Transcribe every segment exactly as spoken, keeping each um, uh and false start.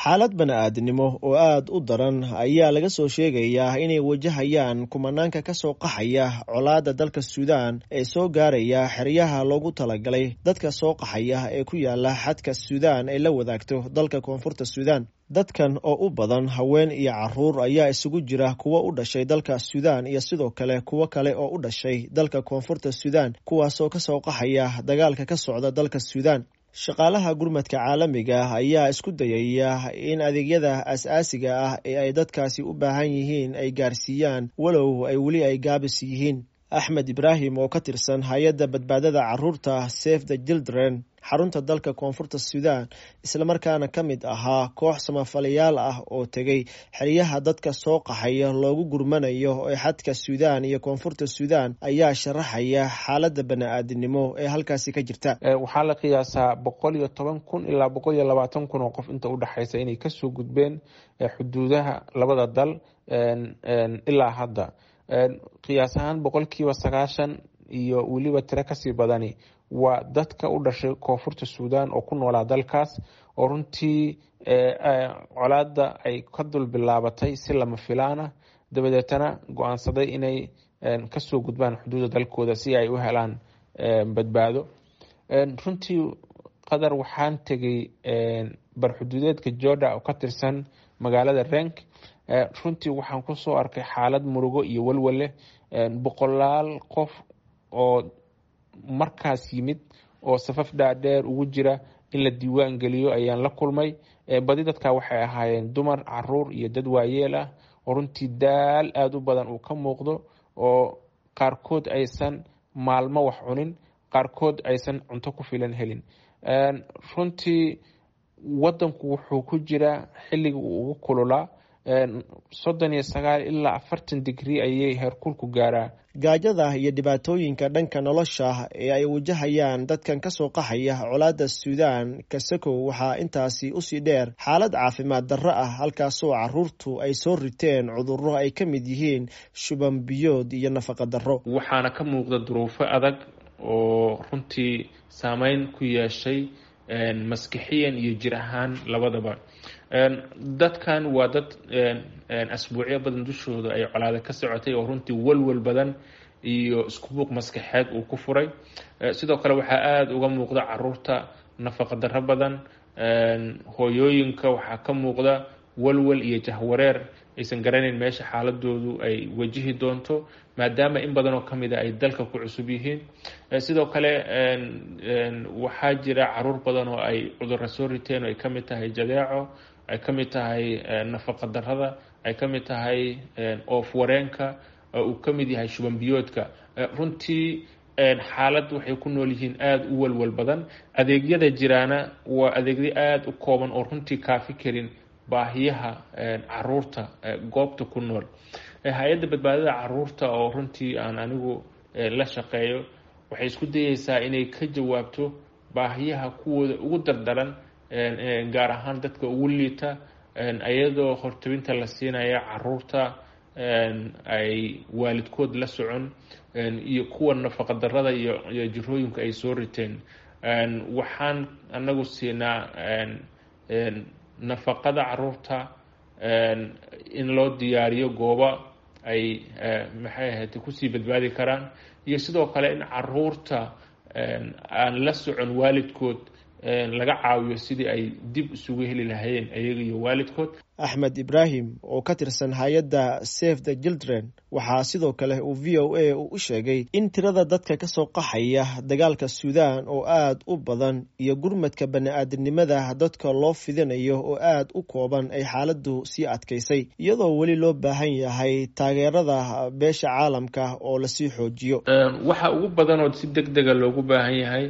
Xaalad bani'aadnimo oo aad u daran ayaa laga soo sheegayaa inay wajahayaan kumanaanka ka soo qaxaya colaadda dalka Suudaan ee soo gaaraya xeryaha loogu talagalay dadka soo qaxaya ee ku yaala xadka Suudaan ay la wadaagto dalka Koonfurta Suudaan. Dadkan oo u badan haween iyo caruur ayaa isugu jira kuwo u dhashay dalka Suudaan iyo sidoo kale kuwo kale oo u dhashay dalka Koonfurta Suudaan, kuwaasoo ka soo qaxaya dagaalka ka socda dalka Suudaan. Shaqaalaha gurmadka caalamiga ah ayaa isku dayaya in adeegyada aasaasiga ah ee ay dadkaasi u baahan yihiin ay gaarsiiyaan, walow ay weli ay gaabis yihiin. Axmed Ibraahim oo ka tirsan hay-adda badbaadada caruurta Save the Children xarunta dalka Koonfurta Suudaan, islamarkaana ka mid ahaa koox samafalayaal ah oo tegey xeryaha dadka soo qaxaya loogu gurmanayo ee xadka Suudaan iyo Koonfurta Suudaan, ayaa sharaxaya xaaladda bani'aadinimo ee halkaasi ka jirta. Waxaa la qiyaasaa boqol iyo toban kun ilaa boqol iyo labaatan kun oo qof inta udhexaysa inay kasoo gudbeen xuduudaha labada dal ilaa hadda. Qiyaas ahaan boqolkiiba sagaashan iyo weliba tiro kasii badani waa dadka u dhashay Koonfurta Suudaan oo ku noolaa dalkaas, oo runtii colaadda ay ka dul bilaabatay si lama filaan ah, dabadeetana go-aansaday inay kasoo gudbaan xuduudda dalkooda si ay u helaan badbaado. Runtii Qadar, waxaan tegay barxuduudeedka Jorda oo ka tirsan magaalada Renk. Runtii waxaan kusoo arkay xaalad murugo iyo walwal leh, boqolaal qof oo markaas yimid oo safaf dhaadheer ugu jira in la diiwaan geliyo ayaan la kulmay. Badi dadka waxay ahaayeen dumar, caruur iyo dad waayeel ah oo runtii daal aada u badan uu ka muuqdo, oo qaarkood aysan maalmo wax cunin, qaarkood aysan cunto ku filan helin. Runtii wadanku wuxuu ku jiraa xilliga uu ugu kululaa, soddon iyo sagaal ilaa afartan digrii ayay heerkulku gaaraa. Gaajada iyo dhibaatooyinka dhanka nolosha ee ay wajahayaan dadkan ka soo qaxaya colaadda Suudaan kasakow, waxaa intaasi usii dheer xaalad caafimaad darro ah, halkaasoo caruurtu ay soo riteen cudurro ay ka mid yihiin shuban biyood iyo nafaqa darro. Waxaana ka muuqda duruufo adag oo runtii saameyn ku yeeshay maskixiyan iyo jir ahaan labadaba. Dadkan waa dad asbuucyo badan dushooda ay colaada ka socotay, oo runtii walwal badan iyo iskubuuq maskaxeed uu ku furay. Sidoo kale waxaa aada uga muuqda caruurta nafaqa darro badan. Hooyooyinka waxaa ka muuqda walwal iyo jahwareer, aysan garanayn meesha xaaladoodu ay wajihi doonto, maadaama in badan oo kamid a ay dalka ku cusub yihiin. Sidoo kale waxaa jira caruur badan oo ay cudurra soo riteen, oo ay kamid tahay jadeeco, ay kamid tahay nafaqa darrada, ay kamid tahay oof wareenka, uu kamid yahay shuban biyoodka. Runtii xaalad waxay ku nool yihiin aada u walwal badan. Adeegyada jiraana waa adeegyo aada u kooban oo runtii kaafi karin baahiyaha caruurta goobta ku nool. Hay-adda badbaadada caruurta oo runtii aan anigu la shaqeeyo waxay isku dayeysaa inay ka jawaabto baahiyaha kuwooda ugu dardaran, gaar ahaan dadka ugu liita, iyadoo hortobinta la siinaya caruurta ay waalidkood la socon iyo kuwa nafaqa darrada iyo iyo jirooyinka ay soo riteen. Waxaan anagu siinaa nafaqada caruurta, in loo diyaariyo goobo ay maxay ahayd kusii badbaadi karaan, iyo sidoo kale in caruurta aan la socon waalidkood laga caawiyo sidii ay dib isugu heli lahayeen ayaga iyo waalidkood. Axmed Ibraahim oo ka tirsan hay-adda Save the Children waxaa sidoo kale uu V O A uu u sheegay in tirada dadka ka soo qaxaya dagaalka Suudaan oo aada u badan iyo gurmadka bani'aadinimada dadka loo fidinayo oo aada u kooban ay xaaladdu sii adkaysay, iyadoo weli loo baahan yahay taageerada beesha caalamka oo lasii xoojiyo. Waxa ugu badan oo si deg dega loogu baahan yahay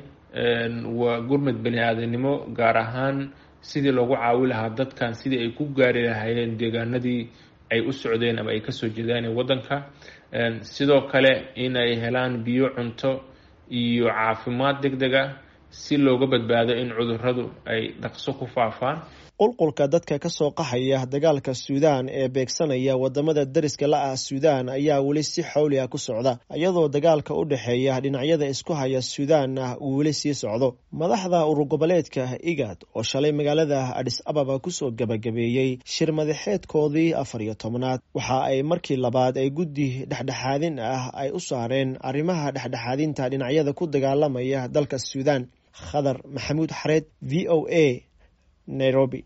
waa gurmad bani aadamnimo, gaar ahaan sidii loogu caawi lahaa dadkan sidii ay ku gaari lahaayeen deegaanadii ay u socdeen ama ay kasoo jeedaan ee waddanka. Sidoo kale inay helaan biyo, cunto iyo caafimaad deg deg ah si looga badbaado in cudurradu ay dhaqso ku faafaan. Qulqulka dadka ka soo qaxaya dagaalka Suudaan ee beegsanaya wadamada deriska la ah Suudaan ayaa weli si xawli ah ku socda, iyadoo dagaalka u dhexeeya dhinacyada isku haya Suudaanna uu weli sii socdo. Madaxda urur goboleedka IGAD oo shalay magaalada Adis Ababa kusoo gabagabeeyey shir madaxeedkoodii afar iyo tobnaad waxa ay markii labaad ay guddi dhexdhexaadin ah ay u saareen arrimaha dhexdhexaadinta dhinacyada ku dagaalamaya dalka Suudaan. Khadar Maxamuud Xareed, V O A, Nairobi.